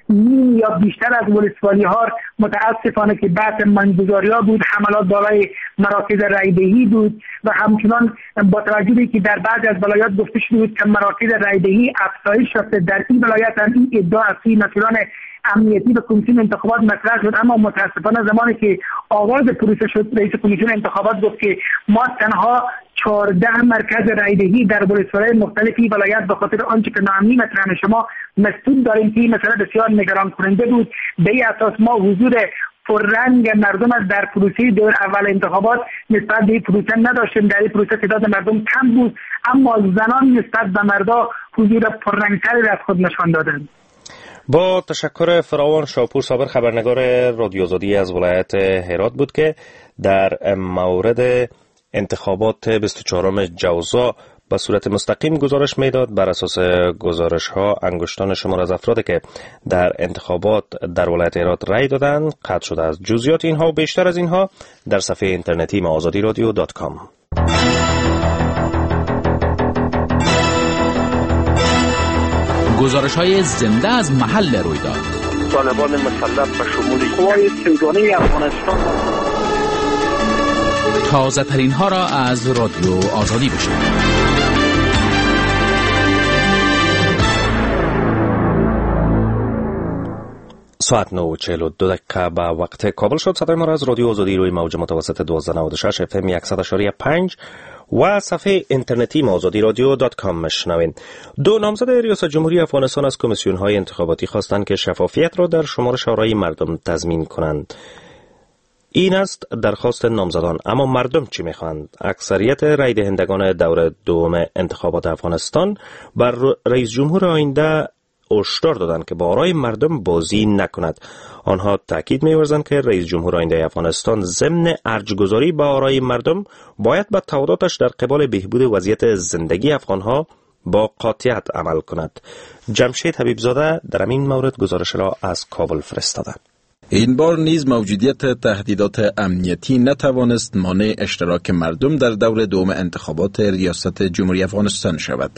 نیم یا بیشتر از ولسوالی‌ها. متاسفانه که بحث ماین‌گذاری‌ها بود، حملات بالای مراکز رای‌دهی بود و همچنان با توجه به که در بعضی از ولایات گفته شده بود که مراکز رای‌دهی افزایش یافته، در این ولایت هم این ادعا از سوی مسئولان امنیتی به کمیسیون انتخابات مطرح شد. اما متاسفانه زمانی که آغاز پروسه شد، رئیس کمیسیون انتخابات گفت که ما تنها 14 مرکز رای‌دهی در ولسوالی‌های مختلفی ولایت به خاطر آنچه که ناامنی مطرح شما مسئول داریم که این مسئله بسیار نگران کننده بود. به این اساس ما حضور پررنگ مردم از در پروسه دور اول انتخابات نسبت به این پروسه نداشتیم. در این پروسه تعداد مردم کم بود، اما زنان نسبت به مردا حضور پررنگتری از خود نشان دادند. با تشکر فراوان، شاپور صابر خبرنگار رادیو آزادی از ولایت هرات بود که در مورد انتخابات 24 جوزا به صورت مستقیم گزارش میداد. بر اساس گزارش ها انگشتان شمار از افرادی که در انتخابات در ولایت هرات رای دادند قطع شده است. جزئیات اینها و بیشتر از اینها در صفحه اینترنتی ما azadiradio.com. گزارش های زنده از محل رویداد. طالبان مسلح به شمول قوای سودانی افغانستان. تازه ترین ها را از رادیو آزادی بشنوید. ساعت 9:42 به وقت کابل شد. صدای ما را از رادیو آزادی روی موج متوسط 1296 اف ام 100.5 و صفحه اینترنتی ما azadiradio.com میشنوین. دو نامزد ریاست جمهوری افغانستان از کمیسیون های انتخاباتی خواستند که شفافیت را در شمارش آرای مردم تضمین کنند. این است درخواست نامزدان، اما مردم چی میخواهند؟ اکثریت رای دهندگان دور دوم انتخابات افغانستان بر رئیس جمهور آینده هشدار دادند که با آرای مردم بازی نکند. آنها تاکید می‌ورزند که رئیس جمهور آینده افغانستان ضمن ارجگذاری به آرای مردم باید به تعهداتش در قبال بهبود وضعیت زندگی افغانها با قاطعیت عمل کند. جمشید حبیبزاده در این مورد گزارش را از کابل فرستاده. این بار نیز موجودیت تهدیدات امنیتی نتوانست مانع اشتراک مردم در دور دوم انتخابات ریاست جمهوری افغانستان شود.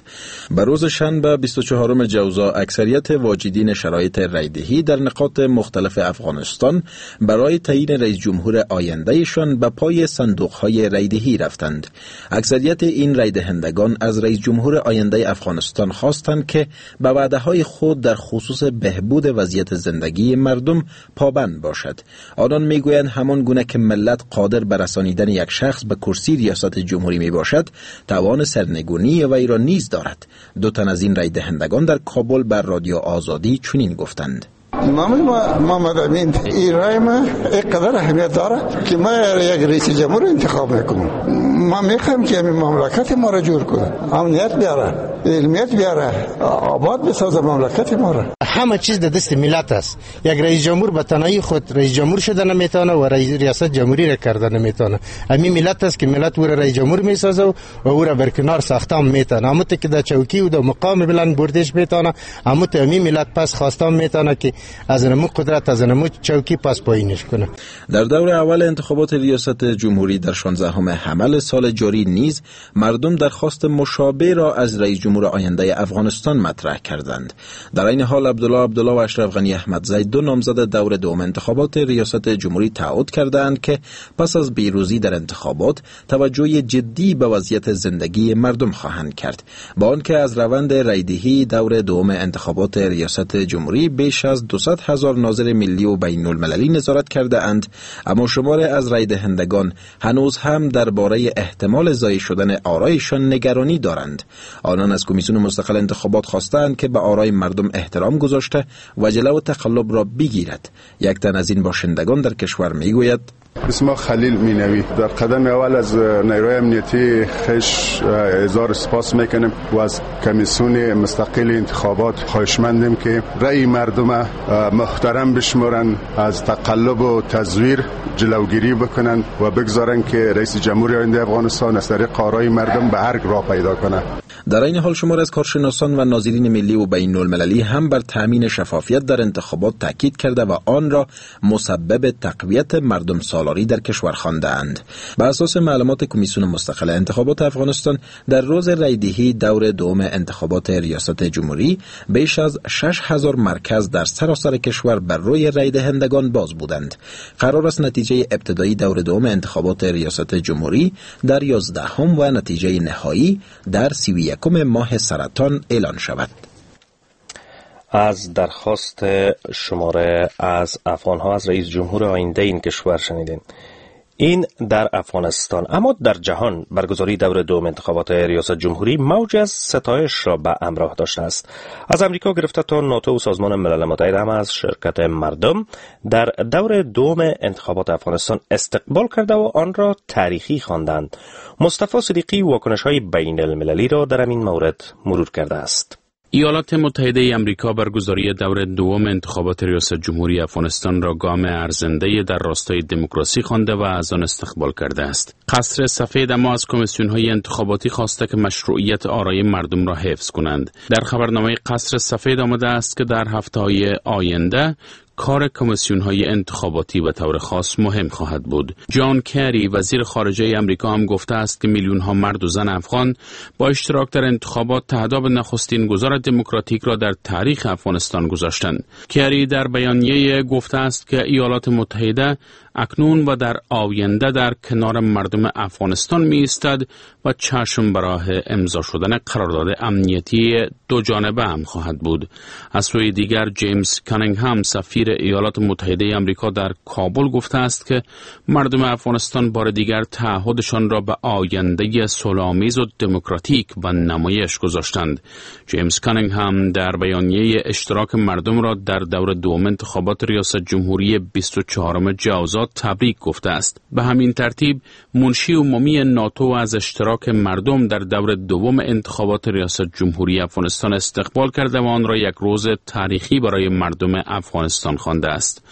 به روز شنبه 24 جوزا اکثریت واجدین شرایط رایدهی در نقاط مختلف افغانستان برای تعیین رئیس جمهور آیندهشان به پای صندوق‌های رایدهی رفتند. اکثریت این رایدهندگان از رئیس جمهور آینده افغانستان خواستند که به وعده‌های خود در خصوص بهبود وضعیت زندگی مردم پابند باشد. آنان میگویند همان گونه که ملت قادر بر رسانیدن یک شخص به کرسی ریاست جمهوری می باشد، توان سرنگونی وی را نیز دارد. دو تن از این رای دهندگان در کابل بر رادیو آزادی چنین گفتند: نام محمد امین، این رای ما اینقدر اهمیت داره که ما یک رئیس جمهور انتخاب میکنم. ما میخوایم که همین مملکت ما را جور کنه، امنیت بیاره، علمیت بیاره، آباد بسازه مملکت ما را. همه چیز در دست ملت است. یک رئیس جمهور به تنهایی خود رئیس جمهور شده نمیتونه و ریاست جمهوری را کرده نمیتونه. همین ملت است که ملت او را رئیس جمهور میسازه و او را برکنار ساخته میتونه. همون که در چوکی و در مقام بلند بردش میتونه، همون همین ملت پس خواسته میتونه که از نمو قدرت از نمو چوکی پس پایینش کنه. در دور اول انتخابات ریاست جمهوری در 16 حمل سال جاری نیز مردم درخواست مشابه را از رئیس جمهور آینده افغانستان مطرح کردند. در این حال عبدالله عبدالله و اشرف غنی احمدزی دو نامزد دور دوم انتخابات ریاست جمهوری تعهد کردند که پس از پیروزی در انتخابات توجه جدی به وضعیت زندگی مردم خواهند کرد. با آنکه از روند رایدهی دور دوم انتخابات ریاست جمهوری بیش از 200,000 ناظر ملی و بین المللی نظارت کرده اند، اما شمار از رای دهندگان هنوز هم درباره احتمال ضایع شدن آرایشان نگرانی دارند. آنان از کمیسیون مستقل انتخابات خواستند که به آرای مردم احترام گذاشته و جلو تقلب را بگیرد. یک تن از این باشندگان در کشور میگوید: اسم خلیل مینوی. در قدم اول از نیروی امنیتی خش اظهار سپاس میکنیم و از کمیسیون مستقل انتخابات خواهشمندیم که رأی مردم محترم بشمارن، از تقلب و تزویر جلوگیری بکنن و بگذارن که رئیس جمهوری آینده افغانستان از طریق آرای مردم به ارگ را پیدا کنه. در این حال شمار از کارشناسان و ناظرین ملی و بین المللی هم بر تامین شفافیت در انتخابات تاکید کرده و آن را مسبب تقویت مردم سالاری در کشور خواندند. به اساس معلومات کمیسیون مستقل انتخابات افغانستان در روز رایدهی دور دوم انتخابات ریاست جمهوری بیش از 6000 مرکز در سراسر کشور بر روی رای دهندگان باز بودند. قرار است نتیجه ابتدایی دور دوم انتخابات ریاست جمهوری در 11 و نتیجه نهایی در 31 ماه سرطان اعلان شود. از درخواست شماره از افغانها از رئیس جمهور آینده این کشور شنیدین. این در افغانستان. اما در جهان برگزاری دور دوم انتخابات ریاست جمهوری موج از ستایش را به همراه داشته است. از امریکا گرفته تا ناتو و سازمان ملل متحد هم از شرکت مردم در دور دوم انتخابات افغانستان استقبال کرده و آن را تاریخی خواندند. مصطفی صدیقی واکنش‌های بین المللی را در این مورد مرور کرده است. ایالات متحده امریکا برگزاری دور دوم انتخابات ریاست جمهوری افغانستان را گام ارزنده در راستای دموکراسی خوانده و از آن استقبال کرده است. قصر سفید اما از کمیسیون‌های انتخاباتی خواسته که مشروعیت آرای مردم را حفظ کنند. در خبرنامه قصر سفید آمده است که در هفته‌های آینده کار کمیسیون‌های انتخاباتی به طور خاص مهم خواهد بود. جان کری وزیر خارجه امریکا هم گفته است که میلیون‌ها مرد و زن افغان با اشتراک در انتخابات تهداب نخستین گذار دموکراتیک را در تاریخ افغانستان گذاشتند. کری در بیانیه گفته است که ایالات متحده اکنون و در آینده در کنار مردم افغانستان می ایستد و چشم به راه امضا شدن قرارداد امنیتی دو جانبه هم خواهد بود. از سوی دیگر جیمز کانینگهام سفیر ایالات متحده امریکا در کابل گفته است که مردم افغانستان بار دیگر تعهدشان را به آینده صلح‌آمیز و دموکراتیک به نمایش گذاشتند. جیمز کانینگهام در بیانیه اشتراک مردم را در دور دوم انتخابات ریاست جمهوری 24 جوزا انتخابات تبریک گفته است. به همین ترتیب منشی عمومی ناتو از اشتراک مردم در دور دوم انتخابات ریاست جمهوری افغانستان استقبال کرده و آن را یک روز تاریخی برای مردم افغانستان خوانده است.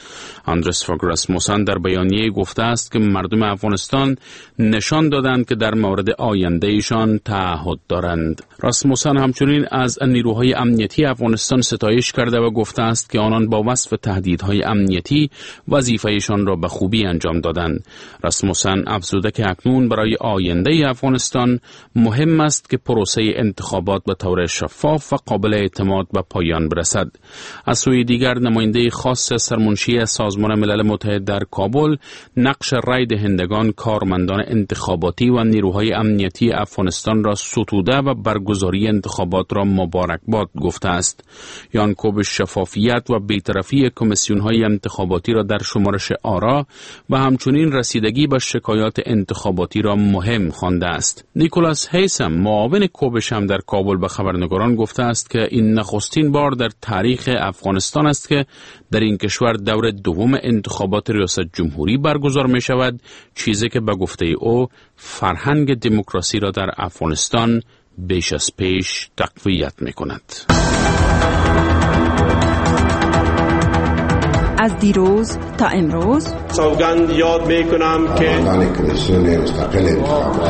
اندرس فوگ راسموسن در بیانیه گفته است که مردم افغانستان نشان دادند که در مورد آینده ایشان تعهد دارند. راسموسن همچنین از نیروهای امنیتی افغانستان ستایش کرده و گفته است که آنان با وصف تهدیدهای امنیتی وظیفه‌شان را به خوبی انجام دادند. راسموسن افزوده که اکنون برای آینده افغانستان مهم است که پروسه انتخابات به طور شفاف و قابل اعتماد به پایان برسد. از سوی دیگر نماینده خاص سرمنشی سازمان ملل متحد در کابل نقش رای دهندگان، کارمندان انتخاباتی و نیروهای امنیتی افغانستان را ستوده و برگزاری انتخابات را مبارکباد گفته است. یانکوب شفافیت و بی‌طرفی کمیسیون‌های انتخاباتی را در شمارش آرا و همچنین رسیدگی به شکایات انتخاباتی را مهم خوانده است. نیکولاس هیسم معاون کوبش هم در کابل به خبرنگاران گفته است که این نخستین بار در تاریخ افغانستان است که در این کشور دور دوم انتخابات ریاست جمهوری برگزار می شود، چیزی که به گفته او فرهنگ دموکراسی را در افغانستان بیش از پیش تقویت می کند. از دیروز تا امروز سوگند یاد می کنم که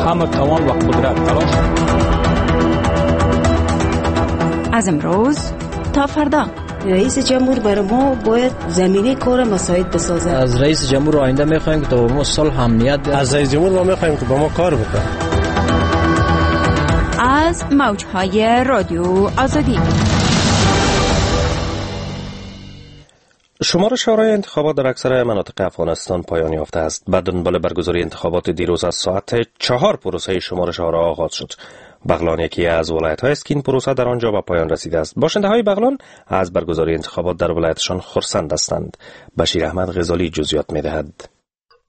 همه توان و قدرت تلاش. از امروز تا فردا رئیس جمهور برای ما باید زمینه کار مساعد بسازد. از رئیس جمهور آینده میخوایم که تا ما صلح امنیت. از رئیس جمهور ما میخوایم که با ما کار بکنه. از موجهای رادیو آزادی. شمار شورای انتخابات در اکثر مناطق افغانستان پایان یافته است. بعد دنبال برگزاری انتخابات دیروز از ساعت 4 پروسه شمارش آرا آغاز شد. بغلان یکی از ولایت‌های است که این پروسه در آنجا به پایان رسیده است. باشنده‌های بغلان از برگزاری انتخابات در ولایتشان خرسند هستند. بشیر احمد غزالی جزئیات می‌دهد.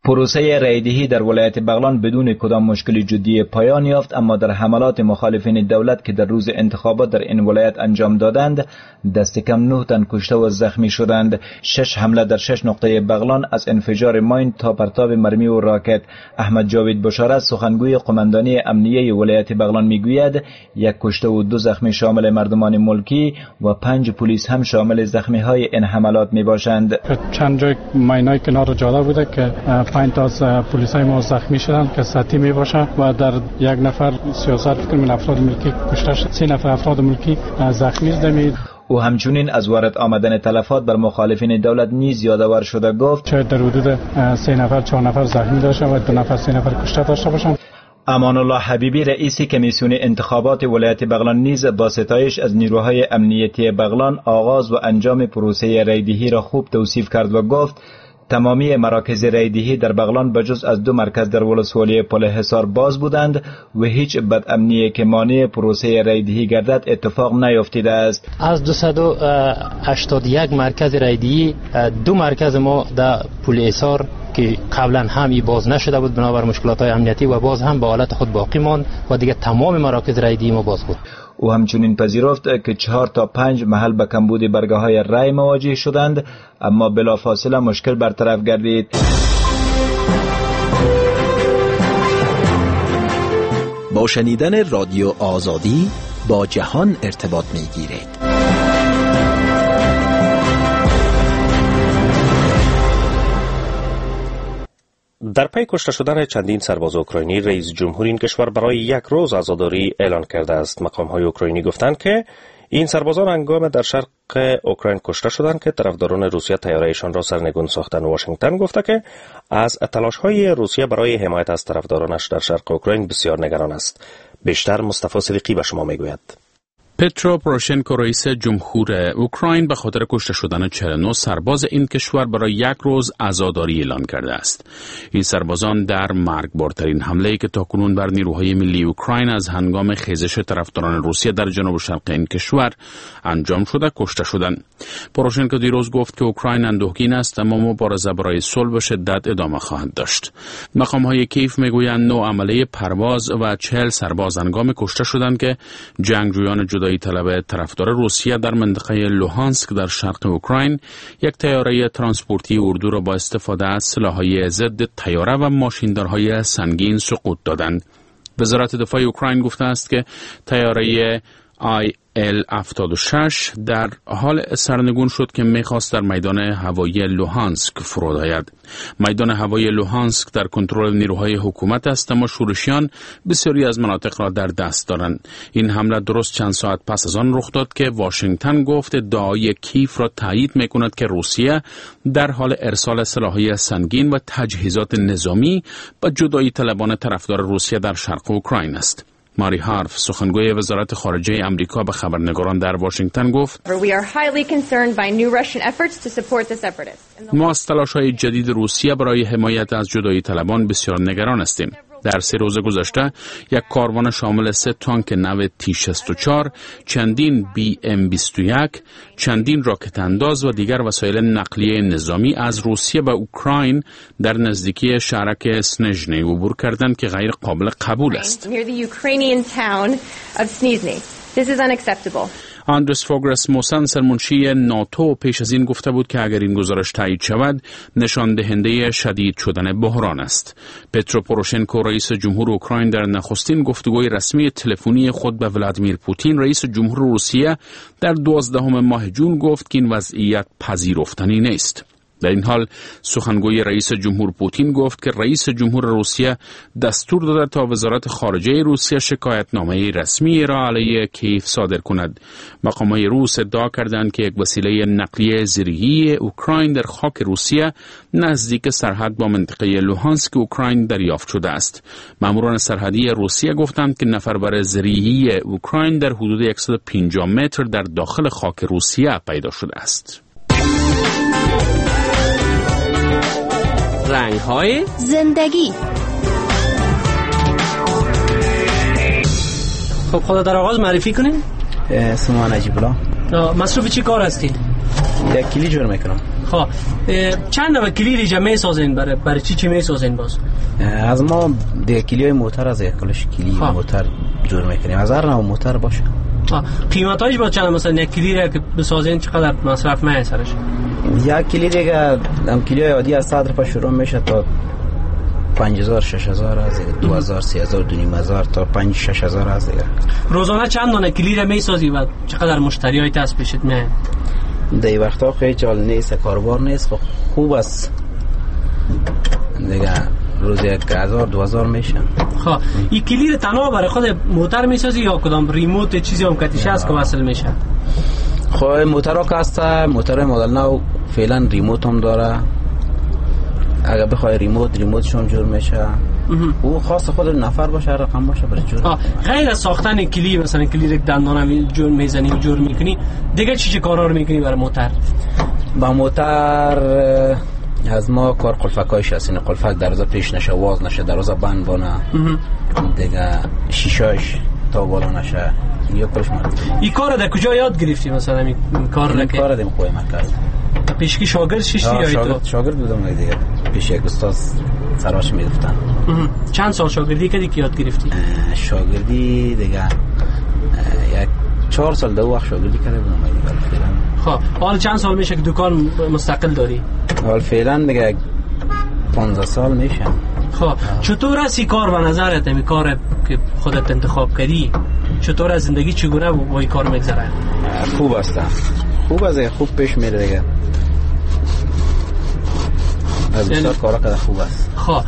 پروسه رایدهی در ولایت بغلان بدون کدام مشکل جدی پایان یافت، اما در حملات مخالفین دولت که در روز انتخابات در این ولایت انجام دادند دست کم 9 تن کشته و زخمی شدند. 6 حمله در 6 نقطه بغلان از انفجار ماین تا پرتاب مرمی و راکت. احمد جاوید بشارت سخنگوی قماندانی امنیه ولایت بغلان میگوید 1 کشته و 2 زخمی شامل مردمان ملکی و 5 پلیس هم شامل زخمی های این حملات می باشند. چند جای ماینای کنار جاده بوده که 5 تا از پلیسای ما زخمی شدند که سطحی می باشه و در 1 نفر 33 فکر من افراد ملکی کشته شد، 3 نفر افراد ملکی زخمی شدند. او همچنین از وارد آمدن تلفات بر مخالفین دولت نیز یادآور شده گفت شاید در حدود 3 نفر 4 نفر زخمی داشته و 2 نفر 3 نفر کشته داشته باشند. امان الله حبیبی رئیس کمیسیون انتخابات ولایت بغلان نیز با ستایش از نیروهای امنیتی بغلان آغاز و انجام پروسه رایدهی را خوب توصیف کرد و گفت تمامی مراکز رایدهی در بغلان به جز از 2 مرکز در ولسوالی پل حصار باز بودند و هیچ بدامنی که مانع پروسه رایدهی گردد اتفاق نیفتیده است. از 281 مرکز رایدهی 2 مرکز ما در پل حصار که قبلا هم ای باز نشده بود بنابر مشکلات های امنیتی و باز هم به حالت خود باقی ماند و دیگه تمام مراکز رایدهی ما باز بود. او همچنین پذیرفت که 4 تا 5 محل به کمبود برگه های رای مواجه شدند، اما بلافاصله مشکل برطرف گردید. با شنیدن رادیو آزادی با جهان ارتباط میگیرید. در پی کشته شدن چندین سرباز اوکراینی، رئیس جمهور این کشور برای 1 روز عزاداری اعلان کرده است. مقام‌های اوکراینی گفتند که این سربازان هنگام در شرق اوکراین کشته شدند که طرفداران روسیه طیاره‌شان را سرنگون ساختند. واشنگتن گفته که از تلاش‌های روسیه برای حمایت از طرفدارانش در شرق اوکراین بسیار نگران است. بیشتر مصطفی صدیقی به شما میگوید. پترو پروشنکو رئیس جمهور اوکراین به خاطر کشته شدن 49 سرباز این کشور برای 1 روز عزاداری اعلان کرده است. این سربازان در مرگبارترین حمله‌ای که تاکنون بر نیروهای ملی اوکراین از هنگام خیزش طرفداران روسیه در جنوب شرق این کشور انجام شده کشته شدند. پروشنکو دیروز گفت که اوکراین اندوهگین است، اما مبارزه برای صلح به شدت ادامه خواهد داشت. مقام‌های کیف میگویند 9 عمله پرواز و 40 سرباز هنگام کشته شدند که جنگجویان جدایی طلب طرفدار روسیه در منطقه لوهانسک در شرق اوکراین یک طیاره ترانسپورتی اردو را با استفاده از سلاح‌های ضد طیاره و ماشیندارهای سنگین سقوط دادند. وزارت دفاع اوکراین گفته است که طیاره IL-76 در حال سرنگون شد که میخواست در میدان هوایی لوهانسک فرود آید. میدان هوایی لوهانسک در کنترل نیروهای حکومت است، اما شورشیان بسیاری از مناطق را در دست دارند. این حمله درست چند ساعت پس از آن رخ داد که واشنگتن گفت ادعای کیف را تایید میکند که روسیه در حال ارسال سلاح‌های سنگین و تجهیزات نظامی به جدایی طلبان طرفدار روسیه در شرق اوکراین است. ماری هارف، سخنگوی وزارت خارجه امریکا، به خبرنگاران در واشنگتن گفت: ما از تلاش‌های جدید روسیه برای حمایت از جدایی طلبان بسیار نگران هستیم. در 3 روز گذشته یک کاروان شامل 3 تانک نو T-64، چندین BM-21، چندین راکت انداز و دیگر وسایل نقلیه نظامی از روسیه به اوکراین در نزدیکی شهرک سنژنی عبور کردند که غیر قابل قبول است. آندرس فوگ راسموسن، سرمنشی ناتو، پیش از این گفته بود که اگر این گزارش تایید شود نشان دهنده شدید شدن بحران است. پترو پوروشنکو، رئیس جمهور اوکراین، در نخستین گفتگوی رسمی تلفنی خود به ولادیمیر پوتین، رئیس جمهور روسیه، در 12 ماه جون گفت که این وضعیت پذیرفتنی نیست. در این حال سخنگوی رئیس جمهور پوتین گفت که رئیس جمهور روسیه دستور داده تا وزارت خارجه روسیه شکایتنامه رسمی را علیه کیف صادر کند. مقامات روس ادعا کردند که یک وسیله نقلیه زرهی اوکراین در خاک روسیه نزدیک سرحد با منطقه لوهانسک اوکراین دریافت شده است. ماموران سرحدی روسیه گفتند که نفربر زرهی اوکراین در حدود 150 متر در داخل خاک روسیه پیدا شده است. رنگ های زندگی. خب خدا در آغاز معرفی کنیم. اسم من نجیب الله. مصروف چی کار هستی؟ یک کلی جور میکنم. خب چند نوع کلی ریجه میسازین؟ برای چی میسازین باز؟ از ما دیگه کلی های موتر، از یک کلش کلی موتر جور میکنیم، از هر نوع موتر باشه. قیمتایش با چند؟ مثلا یک کلی را که بسازین چقدر مصرف میشه سرش؟ یک کلی دیگه هم کلی های عادی از 100 روپیه شروع میشه تا 5000 6000 از 2000 3000 2500 تا 5 6000 از دیگه. روزانه چند دانه کلی را میسازی و چقدر مشتری های تاس پیشت میان؟ در وقتا خیلی جال نیست، کاروبار نیست، خوب است دیگه، روز 1000 2000 میشه. خب این کلی رو تنها برای خود موتر میسازی یا کدام ریموت چیزی هم کتیش هست که وصل میشه؟ خب موترها که هست، موتر مدل نو فعلا ریموت هم داره، اگر بخوای ریموتشون جور میشه. او خاص خود نفر باشه، هر رقم باشه برای جور. غیر از ساختن کلی، مثلا کلی یک دندانم جور میزنی جور میکنی، دیگه چی کارا رو میکنی برای موتر؟ با موتر از ما کار قلفکایش هست، این قلفک دروازه پیش نشه، واز نشه، دروازه بند بانه، دیگه شیشاش تا بالا نشه، یا کلش مرد. این کار در کجا یاد گرفتی مثلا این کار را؟ این کار دیم خوی مرکز. پیشکی شاگرد ششتی یا تو؟ شاگرد بودم دیگه، پیش یک استاد سراش میگفتن. چند سال شاگردی کردی که یاد گرفتی؟ شاگردی دیگه یک 4 سال دو وقت شاگردی کرده بودم دیگه فعلا. خب حالا چند سال میشه که دکان مستقل داری؟ حالا فعلا دیگه 15 سال میشه. خب چطور است این کار به نظرت، این کار که خودت انتخاب کردی، چطور از زندگی چگونه با این کار میگذره؟ خوب است، خوب است، خوب پیش میره دیگه، از بسیار کارا که خوب است. خب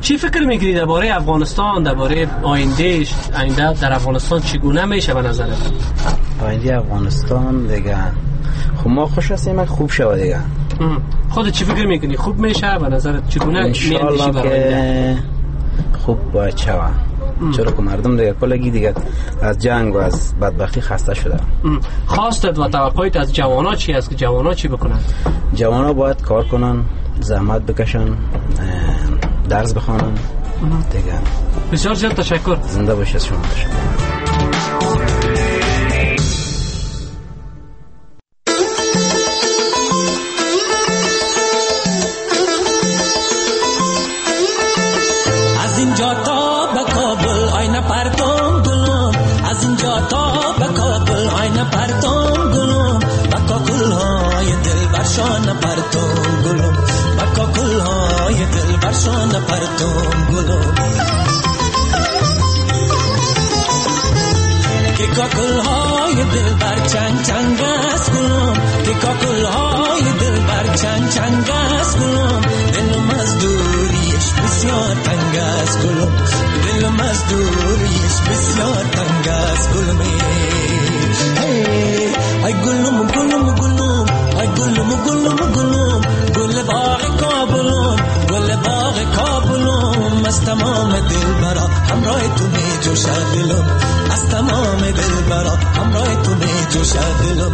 چی فکر میکنی درباره افغانستان، درباره آینده در افغانستان چگونه میشه به نظرت؟ آینده افغانستان دیگه خب ما خوش هستیم خوب شود دیگه. خودت چی فکر میکنی خوب میشه به نظرت؟ چگونه میاندیشی برای آینده؟ خوب باید شود، چرا که مردم دیگه کلگی دیگه از جنگ و از بدبختی خسته شده. خواستت و توقعت از جوانا چی است که جوانا چی بکنن؟ جوانا باید کار کنن، زحمت بکشن، درس بخوانن دیگه. بسیار زیاد تشکر. زنده باشید شما. تشکر. از اینجا تا به کابل آینه پرتم گلم، از از اینجا تا به کابل های نپرتم گلم، بکاکل های دل برشان نپرتم گلم، بکاکل های دل برشان نپرتم گلم. که کاکل های دل بر چنگ چنگ است گلم، که کاکل های دل بر چنگ چنگ است گلم، دلم از دوریش بسیار تنگ است گلم، دلم از دوریش بسیار تنگ است گلم. ای گلم گلم گلم، ای گلم گلم گلم، گل باغ کابلم، گل باغ کابلم، از تمام دل برا همراه تو می جوشد دلم، از تمام دل برا همراه تو می جوشد دلم.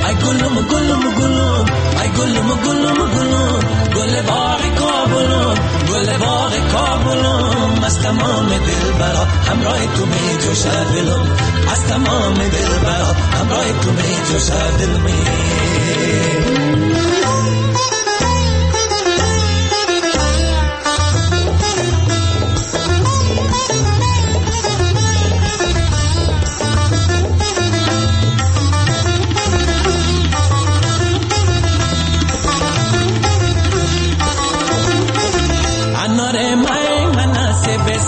ای گلم گلم گلم، ای گلم گلم گلم، گل باغ کابلم، گل باغ کابلم، از تمام دل برا همراه تو می جوشد دلم، از تمام دل برا همراه تو می جوشد دلم.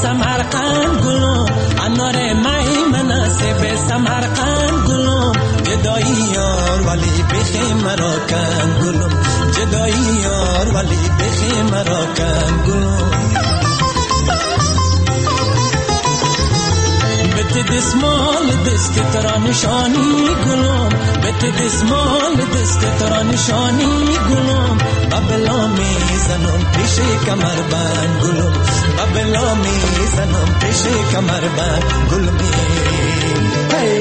سمرقند گلم، انار میمنه سب سمرقند گلم، جدایی یار ولی بخی مرا کن گلم، جدایی یار ولی بخی مرا کن گلم. بت دسمال دست ترا نشانی گلم، بت دسمال دست ترا نشانی گلم، ببلا میزنم پیش کمر بند گلم، ببلا میزنم پیش کمر بند گلم. ای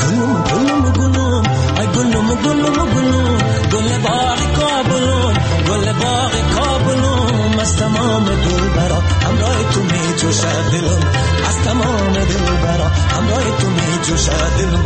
گلم گلم گلم، ای گلم گلم گلم، گل باغ کابلم، گل باغ کابلم، از تمام دل برا همراه تو می جوشد دلم، از تمام دل برا همراه تو می جوشد دلم.